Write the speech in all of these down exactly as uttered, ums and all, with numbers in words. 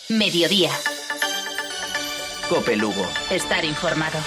Mediodía. Cope Lugo. Estar informado.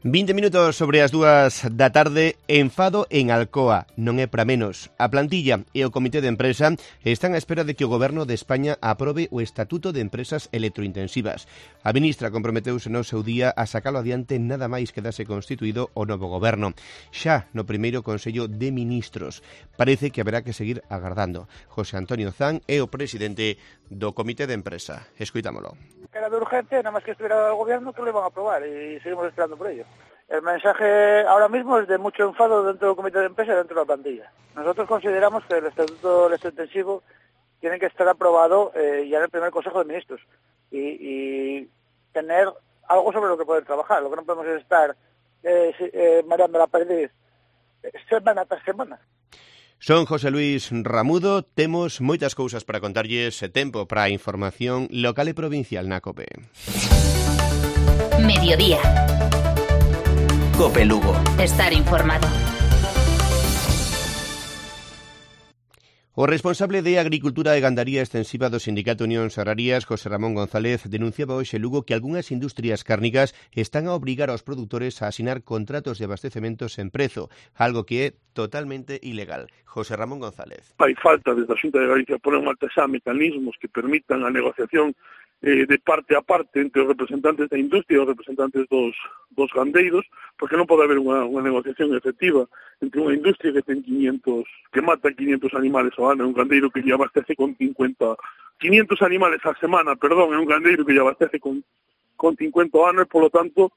vinte minutos sobre as dúas da tarde, enfado en Alcoa, non é para menos. A plantilla e o comité de empresa están á espera de que o Goberno de España aprobe o Estatuto de Empresas Electrointensivas. A ministra comprometeuse no seu día a sacalo adiante nada máis que dase constituído o novo Goberno. Xa no primeiro Consello de Ministros. Parece que haberá que seguir agardando. José Antonio Zan é o presidente do comité de empresa. Escoitámolo. Era de urgencia, nada más que estuviera el gobierno que lo iban a aprobar y seguimos esperando por ello. El mensaje ahora mismo es de mucho enfado dentro del comité de empresa y dentro de la plantilla. Nosotros consideramos que el Estatuto Electrointensivo tiene que estar aprobado eh, ya en el primer Consejo de Ministros y, y tener algo sobre lo que poder trabajar. Lo que no podemos es estar eh, eh, mareando la perdiz semana tras semana. Son José Luis Ramudo, temos moitas cousas para contarlles, tempo para a información local e provincial na COPE. Mediodía. Cope Lugo. Estar informado. O responsable de Agricultura e Gandaría Extensiva do Sindicato Unións Agrarias, José Ramón González, denunciaba hoxe Lugo que algunhas industrias cárnicas están a obrigar aos produtores a asinar contratos de abastecemento sen prezo, algo que é totalmente ilegal. José Ramón González. Hai falta desde a Xunta de Galicia poner en marcha xa mecanismos que permitan a negociación eh, de parte a parte entre os representantes da industria e os representantes dos, dos gandeiros, porque non pode haber unha, unha negociación efectiva entre unha industria que ten quinientos, que mata quinientos animales ao ano, e un gandeiro que lle abastece con cincuenta, quinientos animales á semana, perdón, é un gandeiro que lle abastece con, con cincuenta ao ano, e polo tanto,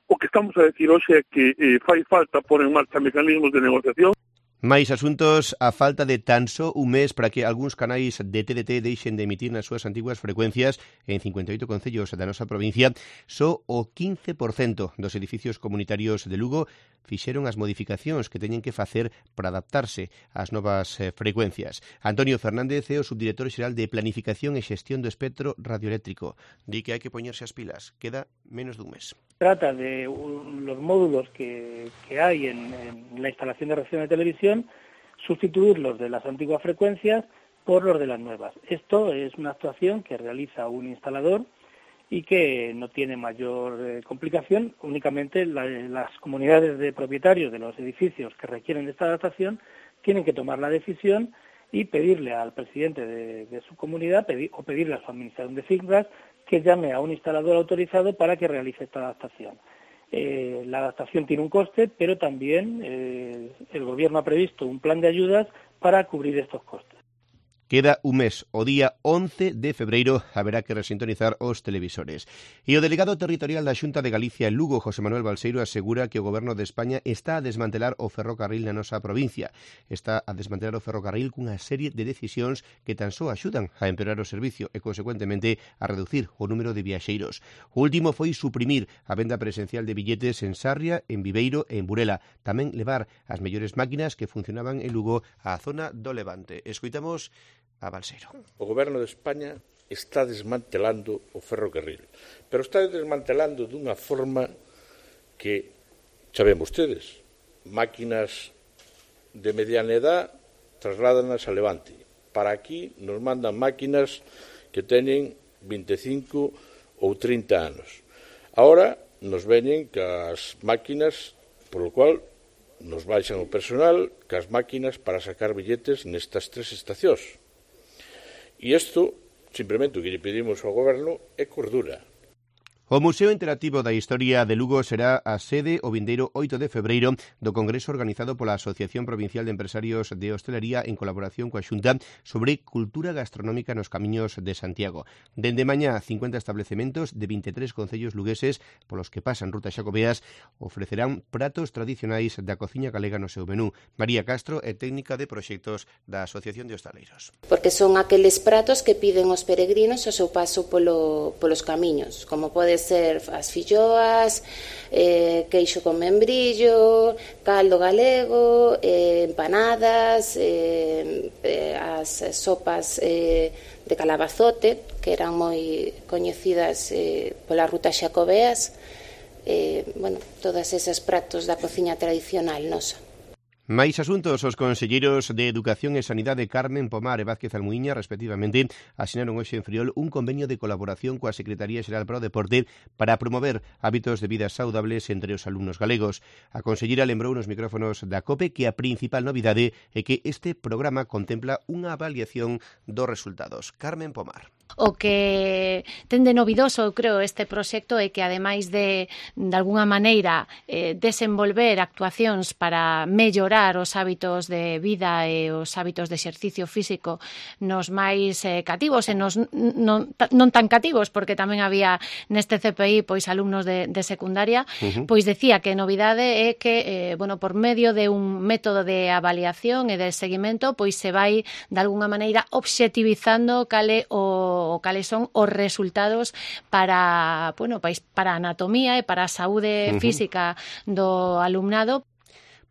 o que estamos a decir hoxe é que eh, fai falta poner en marcha mecanismos de negociación. Mais asuntos, a falta de tan só un mes para que algúns canais de T D T deixen de emitir nas súas antiguas frecuencias en cincuenta e oito concellos da nosa provincia, só o quince por cento dos edificios comunitarios de Lugo fixeron as modificacións que teñen que facer para adaptarse ás novas eh, frecuencias. Antonio Fernández é o subdirector xeral de Planificación e Xestión do Espectro Radioeléctrico. Di que hai que poñerse as pilas. Queda menos dun mes. Trata de un, los módulos que, que hay en, en la instalación de recepción de televisión, sustituirlos de las antiguas frecuencias por los de las nuevas. Esto es una actuación que realiza un instalador y que no tiene mayor eh, complicación. Únicamente la, las comunidades de propietarios de los edificios que requieren de esta adaptación tienen que tomar la decisión y pedirle al presidente de, de su comunidad pedir, o pedirle a su administración de fincas que llame a un instalador autorizado para que realice esta adaptación. Eh, la adaptación tiene un coste, pero también eh, el Gobierno ha previsto un plan de ayudas para cubrir estos costes. Queda un mes, o día once de febreiro, haberá que resintonizar os televisores. E o delegado territorial da Xunta de Galicia en Lugo, José Manuel Balseiro, asegura que o Goberno de España está a desmantelar o ferrocarril na nosa provincia. Está a desmantelar o ferrocarril cunha serie de decisións que tan só axudan a empeorar o servicio e, consecuentemente, a reducir o número de viaxeiros. O último foi suprimir a venda presencial de billetes en Sarria, en Viveiro e en Burela. Tamén levar as mellores máquinas que funcionaban en Lugo á zona do Levante. Escoitamos a Balseiro. O Goberno de España está desmantelando o ferrocarril, pero está desmantelando dunha forma que, xa ven vostedes, máquinas de mediana edad trasládanas a Levante. Para aquí nos mandan máquinas que teñen vinte e cinco ou trinta anos. Ahora nos veñen cas máquinas, polo cual nos baixan o personal, cas máquinas para sacar billetes nestas tres estacións. E isto, simplemente, o que lle pedimos ao Goberno é cordura. O Museo Interactivo da Historia de Lugo será a sede o vindeiro oito de febreiro do congreso organizado pola Asociación Provincial de Empresarios de Hostelería en colaboración coa Xunta sobre cultura gastronómica nos camiños de Santiago. Dende mañá, cincuenta establecementos de vinte e tres concellos lugueses polos que pasan rutas xacobeas ofrecerán pratos tradicionais da cociña galega no seu menú. María Castro é técnica de proxectos da Asociación de Hostaleiros. Porque son aqueles pratos que piden os peregrinos ao seu paso polo, polos camiños, como pode ser as filloas, eh, queixo con membrillo, caldo galego, eh, empanadas, eh, eh, as sopas eh, de calabazote, que eran moi coñecidas eh, polas rutas xacobeas, eh, bueno, todas esas pratos da cociña tradicional nosa. Máis asuntos, os conselleiros de Educación e Sanidade Carmen Pomar e Vázquez Almuíña, respectivamente, asinaron hoxe en Friol un convenio de colaboración coa Secretaría Xeral para o Deporte para promover hábitos de vida saudables entre os alumnos galegos. A conselleira lembrou nos micrófonos da COPE que a principal novidade é que este programa contempla unha avaliación dos resultados. Carmen Pomar. O que ten de novidoso, eu creo, este proxecto é que, ademais de, de alguna maneira, eh, desenvolver actuacións para mellorar os hábitos de vida e os hábitos de exercicio físico nos máis eh, cativos e nos non, non tan cativos, porque tamén había neste C P I pois alumnos de, de secundaria, uh-huh. pois decía que a novidade é que, eh, bueno, por medio de un método de avaliación e de seguimento, pois se vai, de alguna maneira, obxectivizando cale o o cales son os resultados para, bueno, para a anatomía e para a saúde uh-huh. física do alumnado.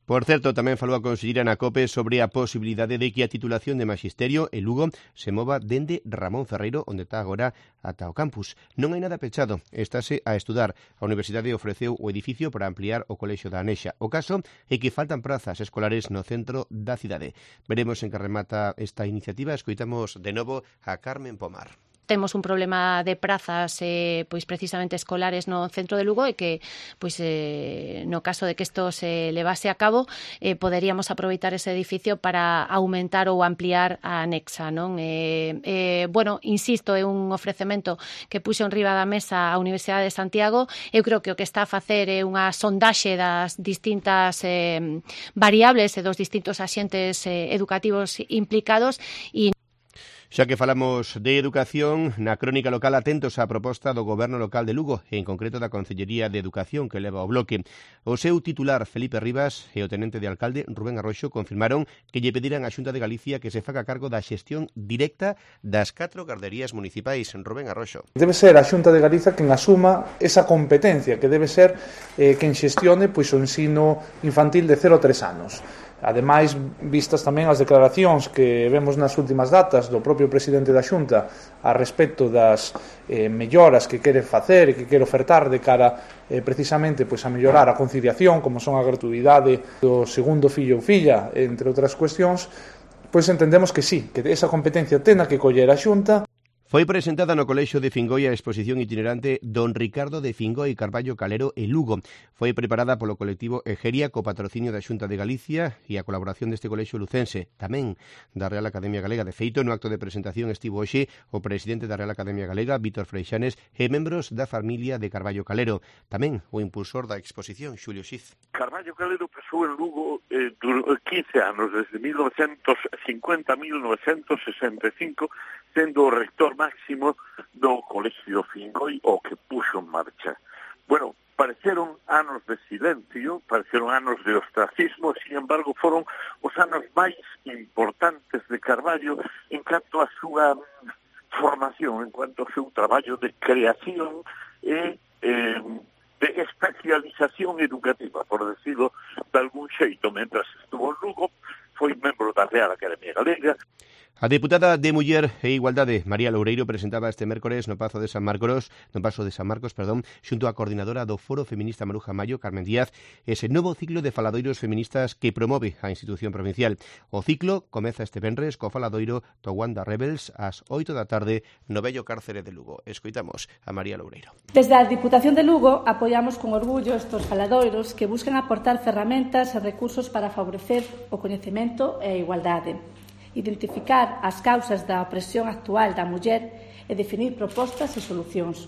Por certo, tamén falou a conselleira na COPE sobre a posibilidade de que a titulación de Maxisterio en Lugo se mova dende Ramón Ferreiro, onde está agora, ata o campus. Non hai nada pechado, estáse a estudar. A Universidade ofreceu o edificio para ampliar o colexio da Anexa. O caso é que faltan prazas escolares no centro da cidade. Veremos en que remata esta iniciativa. Escoitamos de novo a Carmen Pomar. Temos un problema de prazas eh, pois precisamente escolares no centro de Lugo e que pois eh, no caso de que isto se levase a cabo eh, poderíamos aproveitar ese edificio para aumentar ou ampliar a anexa, non? Eh, eh, bueno, insisto, é un ofrecemento que puxo en riba da mesa a Universidade de Santiago. Eu creo que o que está a facer é unha sondaxe das distintas eh, variables e dos distintos axentes eh, educativos implicados e Xa que falamos de educación, na crónica local atentos á proposta do Goberno local de Lugo, e en concreto da Consellería de Educación que leva o bloque. O seu titular, Felipe Rivas, e o tenente de alcalde, Rubén Arroxo, confirmaron que lle pediran á Xunta de Galicia que se faga cargo da xestión directa das catro garderías municipais. Rubén Arroxo. Debe ser a Xunta de Galicia quen asuma esa competencia, que debe ser eh, quen xestione pois, o ensino infantil de cero a tres anos. Ademais, vistas tamén as declaracións que vemos nas últimas datas do propio presidente da Xunta a respecto das eh, melloras que quere facer e que quere ofertar de cara eh, precisamente pois, a mellorar a conciliación, como son a gratuidade do segundo fillo ou filla, entre outras cuestións, pois entendemos que sí, que esa competencia tena que coller a Xunta. Foi presentada no Colexio de Fingoi a exposición itinerante Don Ricardo de Fingoi Carballo Calero e Lugo. Foi preparada polo colectivo Egeria co patrocinio da Xunta de Galicia e a colaboración deste colexio lucense, tamén da Real Academia Galega. De feito, no acto de presentación estivo hoxe o presidente da Real Academia Galega, Vítor Freixanes, e membros da familia de Carballo Calero. Tamén o impulsor da exposición, Xulio Xiz. Carballo Calero pasou en Lugo eh, quince anos, desde mil novecientos cincuenta a mil novecientos sesenta e cinco, sendo o rector máximo do Colexio Fingoi, o que puxo en marcha. Bueno, pareceron anos de silencio, pareceron anos de ostracismo, sin embargo, foron os anos máis importantes de Carballo en canto a súa formación, en cuanto ao seu traballo de creación e eh, de especialización educativa, por decirlo de algún xeito. Mentras estuvo en Lugo, foi membro da Real Academia Galega. A deputada de Muller e Igualdade, María Loureiro, presentaba este mércores no Pazo de San Marcos, no Pazo de San Marcos, perdón, xunto á coordinadora do Foro Feminista Maruja Mayo, Carmen Díaz, ese novo ciclo de faladoiros feministas que promove a institución provincial. O ciclo comeza este venres co faladoiro do Wanda Rebels ás oito da tarde no vello cárcere de Lugo. Escoitamos a María Loureiro. Desde a Diputación de Lugo apoiamos con orgullo estos faladoiros que buscan aportar ferramentas e recursos para favorecer o coñecemento e a igualdade, identificar as causas da opresión actual da muller e definir propostas e solucións.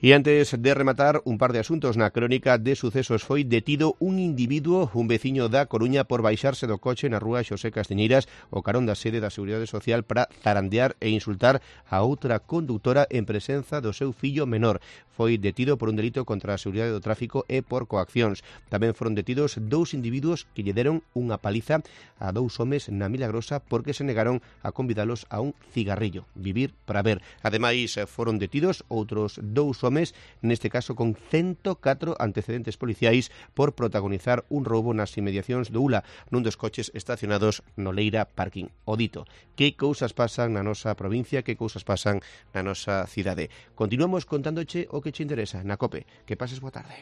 E antes de rematar, un par de asuntos. Na crónica de sucesos foi detido un individuo, un veciño da Coruña, por baixarse do coche na rúa Xosé Castiñeiras, o carón da sede da Seguridade Social, para zarandear e insultar a outra condutora en presenza do seu fillo menor. Foi detido por un delito contra a seguridade do tráfico e por coaccións. Tamén foron detidos dous individuos que lle deron unha paliza a dous homes na Milagrosa porque se negaron a convidalos a un cigarrillo. Vivir para ver. Ademais, foron detidos outros dous homes, neste caso con ciento catro antecedentes policiais por protagonizar un roubo nas inmediacións do U L A, nun dos coches estacionados no Leira Parking. O dito, que cousas pasan na nosa provincia, que cousas pasan na nosa cidade. Continuamos contándoche o que che interesa na COPE. Que pases boa tarde.